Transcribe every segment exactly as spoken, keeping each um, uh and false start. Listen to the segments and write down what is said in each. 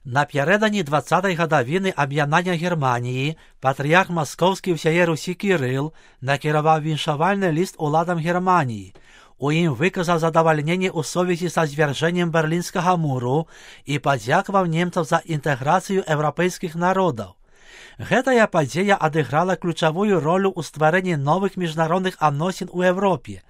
Напередодні двадцятої годовини об'єднання Германії патріарх Московський всієї Русі Кирил накерував віншувальний лист уладам Германії. У їм виказав задовольнення у совісті со зверженням Берлінського муру і подякував німцям за інтеграцію європейських народів. Гэтая падзея адыграла ключавую ролю ў стварэнні новых міжнародных адносін у Европе.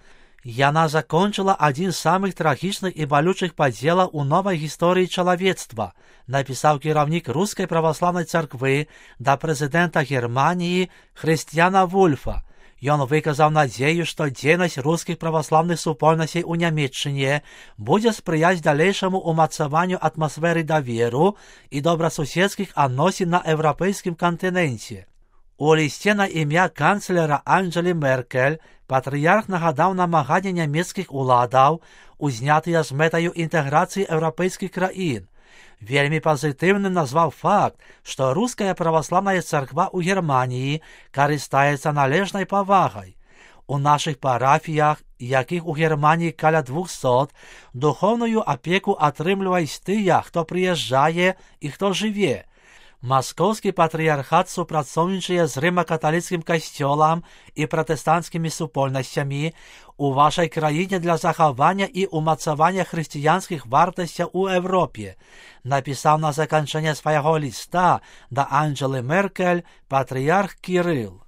Яна закончила адзін з самых трагічных і балючых падзелаў у новай гісторыі чалавецтва, напісаў кіраўнік рускай праваслаўнай царквы да прэзідэнта Германіі Хрысціяна Вульфа. Ён выказаў надзею, што дзейнасць рускіх праваслаўных супольнасцей у Нямецчыне будзе спрыяць далейшаму ўмацаванню атмасферы даверу і добрасуседскіх адносін на еўрапейскім кантыненце. У лісце на імя канцлера Анджелі Меркель патрыярх нагадаў намаганні нямецкіх уладаў, узнятыя з мэтаю інтэграцыі еўрапейскіх краін. Вельмі пазітыўным назваў факт, што руская праваслаўная царква ў Германіі карыстаецца належнай павагай. У нашых парафіях, якіх у Германіі каля двухсот, духоўную апеку атрымліваюць тыя, хто прыязджае і хто жыве. Маскоўскі патрыярхат супрацоўнічае з рыма-каталіцкім касцёлам і пратэстанцкімі супольнасцямі у вашай краіне для захавання і ўмацавання хрысціянскіх вартасцяў у Европе, напісаў на заканчэнне свайго ліста да Анджелы Меркель патрыярх Кірыл.